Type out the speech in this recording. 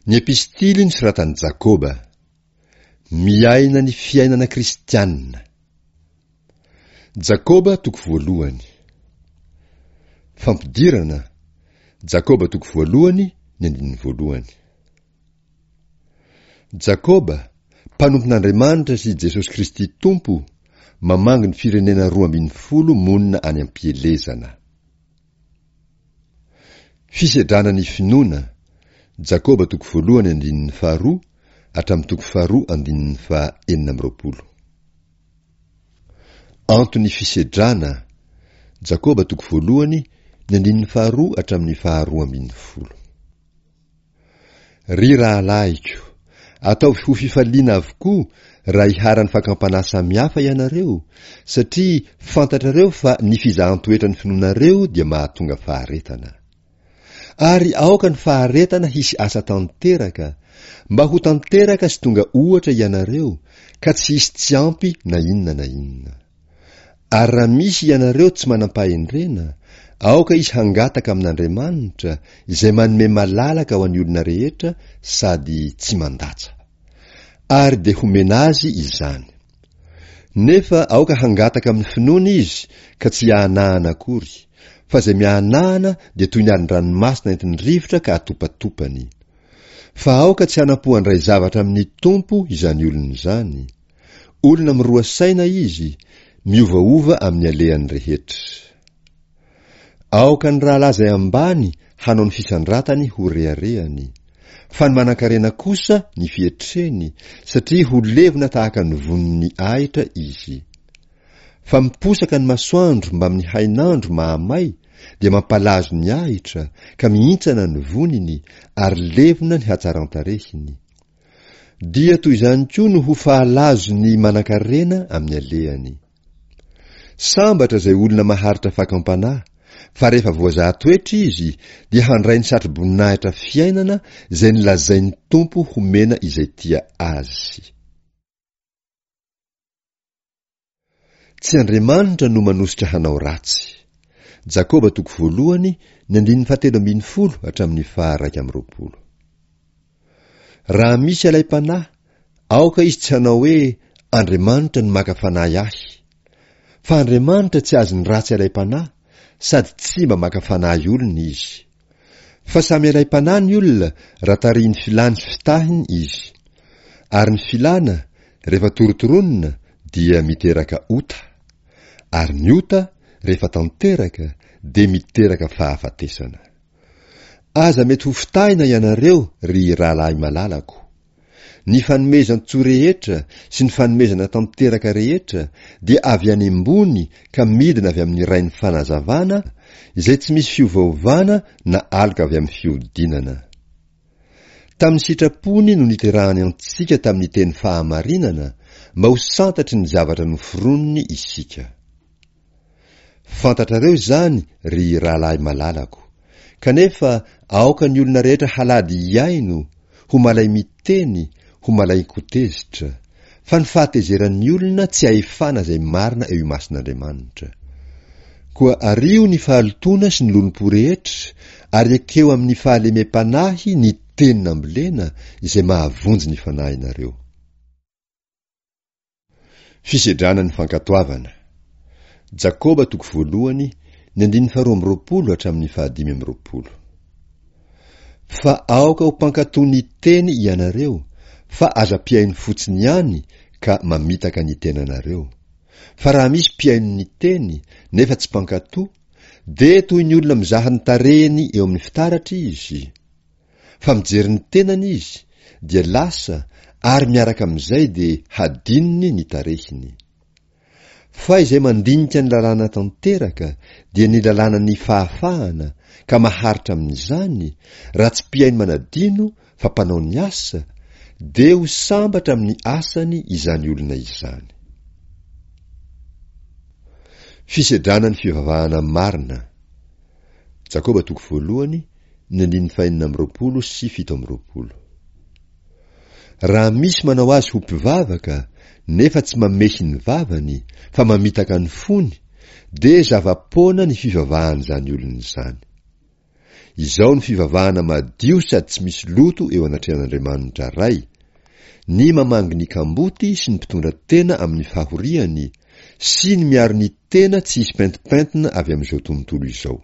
Ny Epistily nosoratan'i Jakoba. Miaina ny fiainana kristianina. Jakoba toko voalohany. Fampidirana, Jakoba toko voalohany ny andininy voalohany. Jakoba, mpanompon'Andriamanitra sy Jesosy Kristy Tompo, mamangy ny firenena 12 monina any am-pielezana. Fisedrana ny finoana, Jakoba toko voalohany andininy faharoa hatramin'ny toko faharoa andininy faha 26. Anton'ny fisedrana, Jakoba toko voalohany ny andininy faharoa hatramin'ny faha 12. Ry rahalahiko, ataovy ho fifaliana avokoa raha iharan'ny fakam-panahy samihafa ianareo, satria fantatrareo fa ny fizahan-toetra ny finoanareo dia mahatonga faharetana. Ary aoka ny faharetana hisy asa tanteraka, mba ho tanteraka sy tonga ohatra ianareo, ka tsy hisy tsy ampy na inona na inona. Ary raha misy ianareo tsy manam-pahendrena, aoka izy hangataka amin'Andriamanitra, izay manome malalaka ho an'ny olona rehetra sady tsy mandatsa. Ary dia homena azy izany. Nefa aoka hangataka amin'ny finoana izy ka tsy hiahanahana akory, fa izay miahanahana dia toy ny alon-dranomasina entin'ny rivotra ka atopatopany. Fa aoka tsy hanam-po handray zavatra amin'ny Tompo izany olona izany. Olona miroa saina izy, miovaova amin'ny alehany rehetra. Aoka ny rahalahy izay ambany hanao ny fisandratany ho reharehany, fa ny manankarena kosa ny fietreny, satria ho levona tahaka ny vonin'ny ahitra izy. Fa miposaka ny masoandro mbamin'ny hainandro mahamay dia mampalazo ny ahitra, ka mihintsana ny voniny ary levona ny hatsaran-tarehiny. Dia toy izany koa no ho fahalazon'ny manankarena amin'ny alehany. Sambatra izay olona maharitra fakam-panahy, fa rehefa voazaha toetra izy dia handray ny satroboninahitra fiainana izay nolazain'ny Tompo homena izay tia azy. Tsy Andriamanitra no manosika hanao ratsy. Jakoba toko voalohany, ny andininy fahatelo ambin'ny folo hatramin'ny faha-21. Raha misy alaim-panahy, aoka izy tsy hanao hoe Andriamanitra no maka fanahy ahy. Fa Andriamanitra tsy azon'ny ratsy alaim-panahy, sady tsy mba maka fanahy olona izy. Fa samy alaim-panahy ny olona raha tarihin'ny filany sy fitahiny izy. Ary ny filana, rehefa torotoronina, dia miteraka ota. Ary ny ota, rehefa tanteraka, dia miteraka fahafatesana. Aza mety ho fitahina ianareo, ry rahalahy malalako. Ny fanomezan-tsoa rehetra sy ny fanomezana tanteraka rehetra dia avy any ambony ka midina avy amin'ny Rain'ny fanazavana, izay tsy misy fiovaovana na aloka avy amin'ny fihodinana. Tamin'ny sitrapony no niterahany antsika tamin'ny teny fahamarinana mba ho santatry ny zavatra noforoniny isika. Fantatrareo izany, ry rahalahy malalako. Kanefa aoka ny olona rehetra halady hihaino, ho malai-miteny, ho malain-ko tezitra. Fa ny fahatezeran'ny olona tsy ahefana izay marina eo imason'Andriamanitra. Koa ario ny fahalotoana sy ny lolompo rehetra, ary ekeo amin'ny fahalemem-panahy ny teny nambolena izay mahavonjy ny fanahinareo. Fisedrana ny fankatoavana. Jakoba toko voalohany, ny andininy faharoa amby roapolo hatramin'ny fahadimy amby roapolo. Fa aoka ho mpankatò ny teny ianareo, fa aza mpihaino fotsiny ihany ka mamitaka ny tenanareo. Fa raha misy mpihaino ny teny, nefa tsy mpankatò, dia toy ny olona mizaha ny tarehiny eo amin'ny fitaratra izy. Fa mijery ny tenany izy, dia lasa ary miaraka amin'izay dia hadinony ny tarehiny. Fa izay mandinika ny lalàna tanteraka dia ny lalànan'ny fahafahana ka maharitra amin'izany, raha tsy mpihaino manadino fa mpanao ny asa, dia ho sambatra amin'ny asany izany olona izany. Fisedrana ny fivavahana marina. Jakoba toko voalohany, ny andininy fahenina amby roapolo sy 27. Raha misy manao azy ho mpivavaka nefa tsy mamehy ny vavany fa mamitaka ny fony dia zava-poana ny fivavahan'izany olona izany. Izao no fivavahana madio sady tsy misy loto eo anatrehan'Andriamanitra Ray, ny mamangy ny kamboty sy ny mpitondra tena amin'ny fahoriany, sy ny miaro ny tena tsy hisy pentimpentina avy amin'izao tontolo izao.